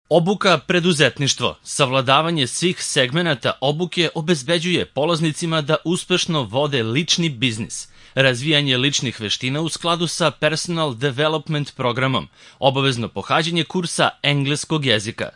Obuka preduzetništvo. Savladavanje svih segmenata obuke obezbeđuje polaznicima da uspešno vode lični biznis. Razvijanje ličnih veština u skladu sa Personal Development programom, obavezno pohađanje kursa engleskog jezika.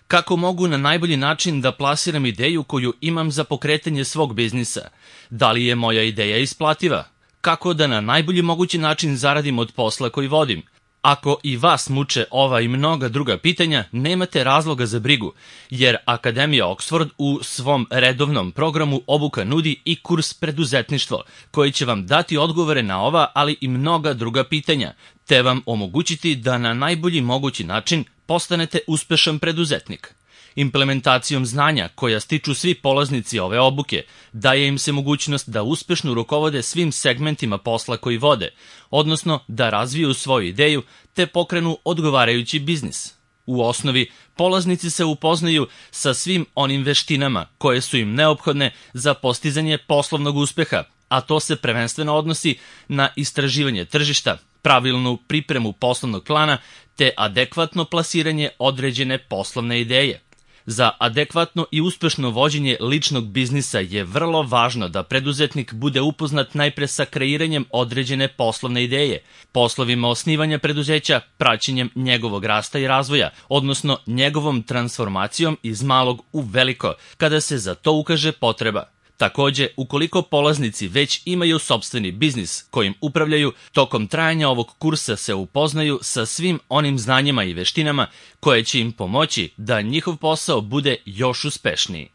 Kako mogu na najbolji način da plasiram ideju koju imam za pokretanje svog biznisa? Da li je moja ideja isplativa? Kako da na najbolji mogući način zaradim od posla koji vodim? Ako i vas muče ova i mnoga druga pitanja, nemate razloga za brigu, jer Akademija Oxford u svom redovnom programu obuka nudi i kurs preduzetništvo, koji će vam dati odgovore na ova, ali i mnoga druga pitanja, te vam omogućiti da na najbolji mogući način postanete uspešan preduzetnik. Implementacijom znanja koja stiču svi polaznici ove obuke daje im se mogućnost da uspešno rukovode svim segmentima posla koji vode, odnosno da razviju svoju ideju te pokrenu odgovarajući biznis. U osnovi, polaznici se upoznaju sa svim onim veštinama koje su im neophodne za postizanje poslovnog uspeha, a to se prvenstveno odnosi na istraživanje tržišta, pravilnu pripremu poslovnog plana te adekvatno plasiranje određene poslovne ideje. Za adekvatno i uspešno vođenje ličnog biznisa je vrlo važno da preduzetnik bude upoznat najpre sa kreiranjem određene poslovne ideje, poslovima osnivanja preduzeća, praćenjem njegovog rasta i razvoja, odnosno njegovom transformacijom iz malog u veliko, kada se za to ukaže potreba. Takođe, ukoliko polaznici već imaju sopstveni biznis kojim upravljaju, tokom trajanja ovog kursa se upoznaju sa svim onim znanjima i veštinama koje će im pomoći da njihov posao bude još uspešniji.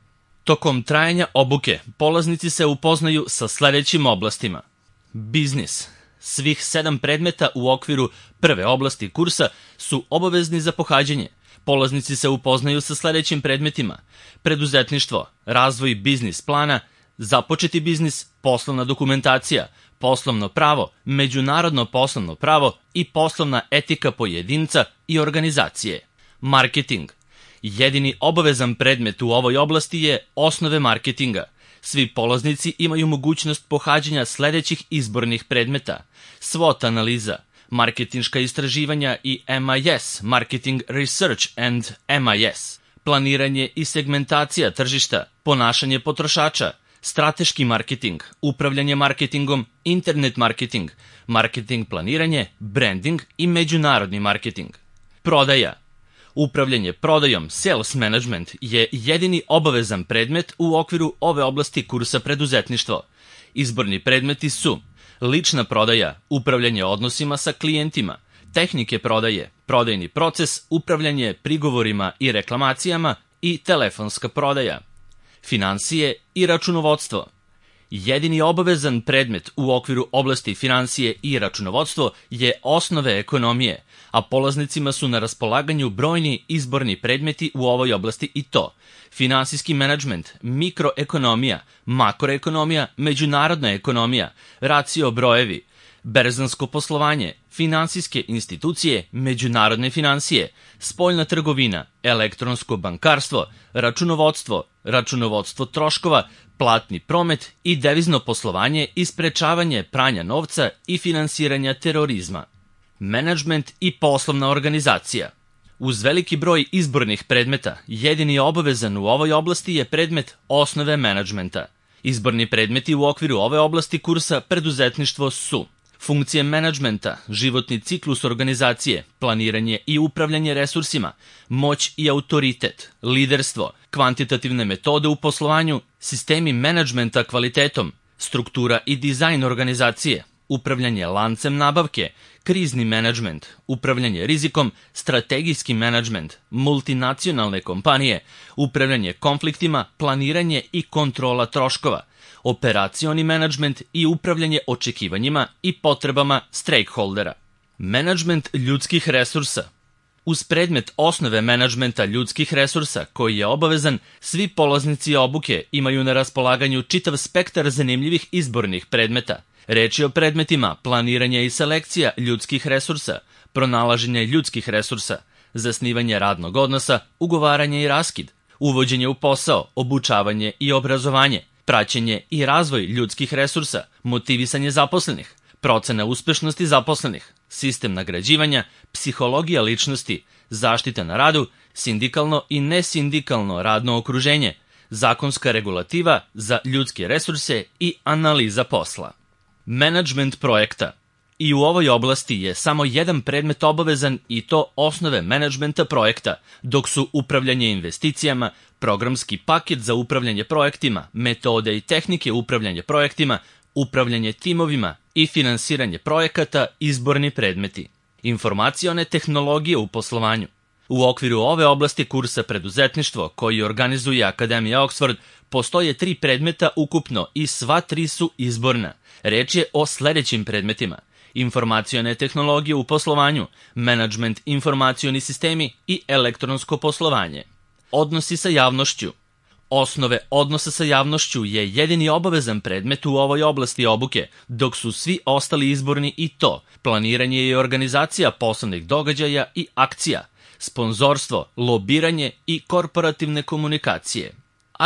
Tokom trajanja obuke, polaznici se upoznaju sa sledećim oblastima. Biznis. Svih 7 predmeta u okviru prve oblasti kursa su obavezni za pohađanje. Polaznici se upoznaju sa sledećim predmetima: preduzetništvo, razvoj biznis plana, započeti biznis, poslovna dokumentacija, poslovno pravo, međunarodno poslovno pravo i poslovna etika pojedinca i organizacije. Marketing. Jedini obavezan predmet u ovoj oblasti je osnove marketinga. Svi polaznici imaju mogućnost pohađanja sledećih izbornih predmeta: SWOT analiza, marketinška istraživanja i MIS, Marketing Research and MIS, planiranje i segmentacija tržišta, ponašanje potrošača, strateški marketing, upravljanje marketingom, internet marketing, marketing planiranje, branding i međunarodni marketing. Prodaja. Upravljanje prodajom, sales management, je jedini obavezan predmet u okviru ove oblasti kursa preduzetništvo. Izborni predmeti su lična prodaja, upravljanje odnosima sa klijentima, tehnike prodaje, prodajni proces, upravljanje prigovorima i reklamacijama i telefonska prodaja. Finansije i računovodstvo. Jedini obavezan predmet u okviru oblasti finansije i računovodstvo je osnove ekonomije, a polaznicima su na raspolaganju brojni izborni predmeti u ovoj oblasti i to: finansijski menadžment, mikroekonomija, makroekonomija, međunarodna ekonomija, racio brojevi, berzansko poslovanje, finansijske institucije, međunarodne finansije, spoljna trgovina, elektronsko bankarstvo, računovodstvo, računovodstvo troškova, platni promet i devizno poslovanje i sprečavanje pranja novca i finansiranja terorizma. Menadžment i poslovna organizacija. Uz veliki broj izbornih predmeta, jedini obavezan u ovoj oblasti je predmet osnove menadžmenta. Izborni predmeti u okviru ove oblasti kursa preduzetništvo su: funkcije menadžmenta, životni ciklus organizacije, planiranje i upravljanje resursima, moć i autoritet, liderstvo, kvantitativne metode u poslovanju, sistemi menadžmenta kvalitetom, struktura i dizajn organizacije, upravljanje lancem nabavke, krizni menadžment, upravljanje rizikom, strategijski menadžment, multinacionalne kompanije, upravljanje konfliktima, planiranje i kontrola troškova, operacioni menadžment i upravljanje očekivanjima i potrebama stakeholdera. Menadžment ljudskih resursa. Uz predmet osnove menadžmenta ljudskih resursa, koji je obavezan, svi polaznici obuke imaju na raspolaganju čitav spektar zanimljivih izbornih predmeta. Reč je o predmetima planiranja i selekcija ljudskih resursa, pronalaženje ljudskih resursa, zasnivanje radnog odnosa, ugovaranje i raskid, uvođenje u posao, obučavanje i obrazovanje, praćenje i razvoj ljudskih resursa, motivisanje zaposlenih, procena uspešnosti zaposlenih, sistem nagrađivanja, psihologija ličnosti, zaštita na radu, sindikalno i nesindikalno radno okruženje, zakonska regulativa za ljudske resurse i analiza posla. Menadžment projekta. I u ovoj oblasti je samo jedan predmet obavezan i to osnove menadžmenta projekta, dok su upravljanje investicijama, programski paket za upravljanje projektima, metode i tehnike upravljanja projektima, upravljanje timovima i finansiranje projekata izborni predmeti. Informacione tehnologije u poslovanju. U okviru ove oblasti kursa preduzetništvo koji organizuje Akademija Oxford postoje 3 predmeta ukupno i sva 3 su izborna. Reč je o sledećim predmetima: informacione tehnologije u poslovanju, menadžment informacioni sistemi i elektronsko poslovanje. Odnosi sa javnošću. Osnove odnosa sa javnošću je jedini obavezan predmet u ovoj oblasti obuke, dok su svi ostali izborni i to: planiranje i organizacija poslovnih događaja i akcija, sponzorstvo, lobiranje i korporativne komunikacije.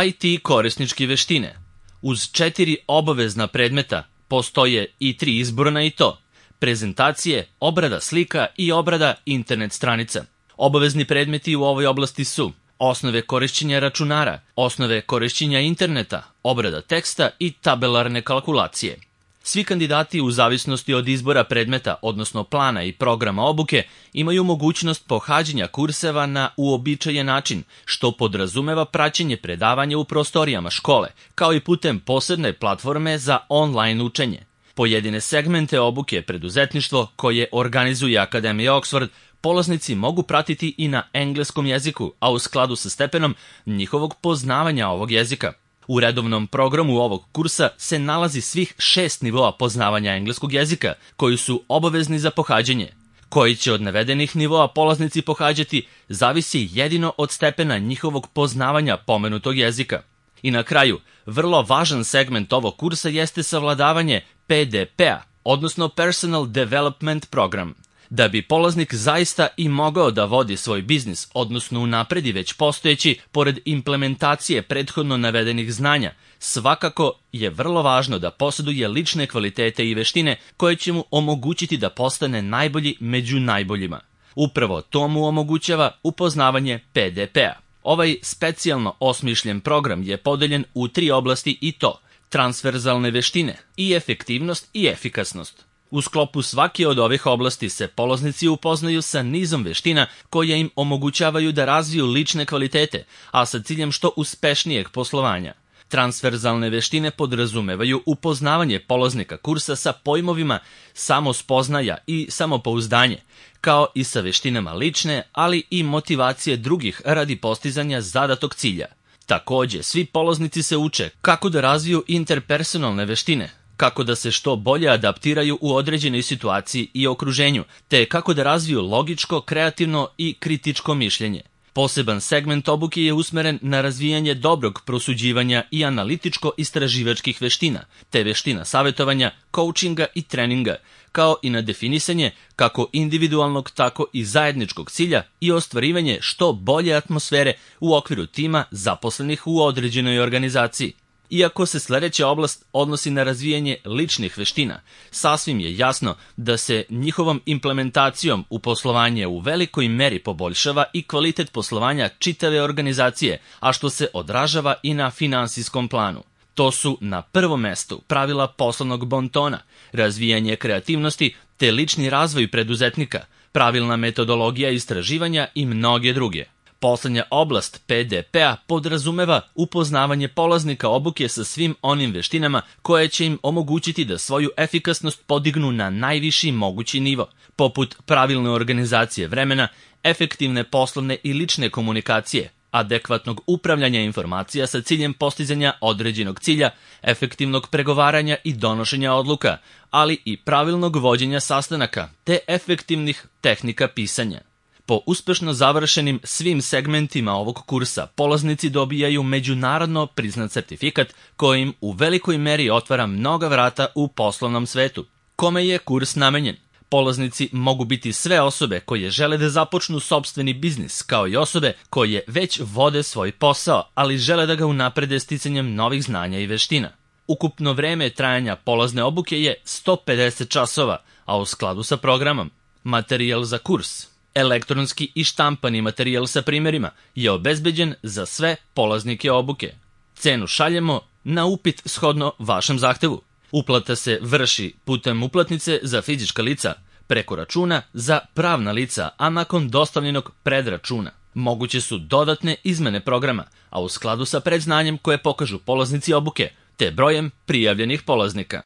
IT korisničke veštine. Uz 4 obavezna predmeta postoje i 3 izborna i to: prezentacije, obrada slika i obrada internet stranica. Obavezni predmeti u ovoj oblasti su osnove korišćenja računara, osnove korišćenja interneta, obrada teksta i tabelarne kalkulacije. Svi kandidati u zavisnosti od izbora predmeta, odnosno plana i programa obuke, imaju mogućnost pohađanja kurseva na uobičajen način, što podrazumeva praćenje predavanja u prostorijama škole, kao i putem posebne platforme za online učenje. Pojedine segmente obuke preduzetništvo koje organizuje Akademija Oxford polaznici mogu pratiti i na engleskom jeziku, a u skladu sa stepenom njihovog poznavanja ovog jezika. U redovnom programu ovog kursa se nalazi svih 6 nivoa poznavanja engleskog jezika, koji su obavezni za pohađanje. Koji će od navedenih nivoa polaznici pohađati, zavisi jedino od stepena njihovog poznavanja pomenutog jezika. I na kraju, vrlo važan segment ovog kursa jeste savladavanje PDP-a, odnosno Personal Development Program. Da bi polaznik zaista i mogao da vodi svoj biznis, odnosno unapredi već postojeći, pored implementacije prethodno navedenih znanja, svakako je vrlo važno da posjeduje lične kvalitete i veštine koje će mu omogućiti da postane najbolji među najboljima. Upravo to mu omogućava upoznavanje PDP-a. Ovaj specijalno osmišljen program je podeljen u 3 oblasti i to: transverzalne veštine, i efektivnost i efikasnost. U sklopu svake od ovih oblasti se polaznici upoznaju sa nizom veština koje im omogućavaju da razviju lične kvalitete, a sa ciljem što uspešnijeg poslovanja. Transverzalne veštine podrazumevaju upoznavanje polaznika kursa sa pojmovima samospoznaja i samopouzdanje, kao i sa veštinama lične, ali i motivacije drugih radi postizanja zadatog cilja. Takođe, svi polaznici se uče kako da razviju interpersonalne veštine, kako da se što bolje adaptiraju u određenoj situaciji i okruženju, te kako da razviju logičko, kreativno i kritičko mišljenje. Poseban segment obuke je usmeren na razvijanje dobrog prosuđivanja i analitičko-istraživačkih veština, te veština savjetovanja, coachinga i treninga, kao i na definisanje kako individualnog, tako i zajedničkog cilja i ostvarivanje što bolje atmosfere u okviru tima zaposlenih u određenoj organizaciji. Iako se sledeća oblast odnosi na razvijanje ličnih veština, sasvim je jasno da se njihovom implementacijom u poslovanje u velikoj meri poboljšava i kvalitet poslovanja čitave organizacije, a što se odražava i na finansijskom planu. To su na prvom mestu pravila poslovnog bontona, razvijanje kreativnosti te lični razvoj preduzetnika, pravilna metodologija istraživanja i mnoge druge. Poslednja oblast PDP-a podrazumeva upoznavanje polaznika obuke sa svim onim veštinama koje će im omogućiti da svoju efikasnost podignu na najviši mogući nivo, poput pravilne organizacije vremena, efektivne poslovne i lične komunikacije, adekvatnog upravljanja informacija sa ciljem postizanja određenog cilja, efektivnog pregovaranja i donošenja odluka, ali i pravilnog vođenja sastanaka, te efektivnih tehnika pisanja. Po uspešno završenim svim segmentima ovog kursa, polaznici dobijaju međunarodno priznat sertifikat koji im u velikoj meri otvara mnoga vrata u poslovnom svetu. Kome je kurs namenjen? Polaznici mogu biti sve osobe koje žele da započnu sopstveni biznis, kao i osobe koje već vode svoj posao, ali žele da ga unaprede sticanjem novih znanja i veština. Ukupno vreme trajanja polazne obuke je 150 časova, a u skladu sa programom Materijal za kurs, elektronski i štampani materijal sa primjerima je obezbeđen za sve polaznike obuke. Cenu šaljemo na upit shodno vašem zahtevu. Uplata se vrši putem uplatnice za fizička lica, preko računa za pravna lica, a nakon dostavljenog predračuna. Moguće su dodatne izmene programa, a u skladu sa predznanjem koje pokažu polaznici obuke, te brojem prijavljenih polaznika.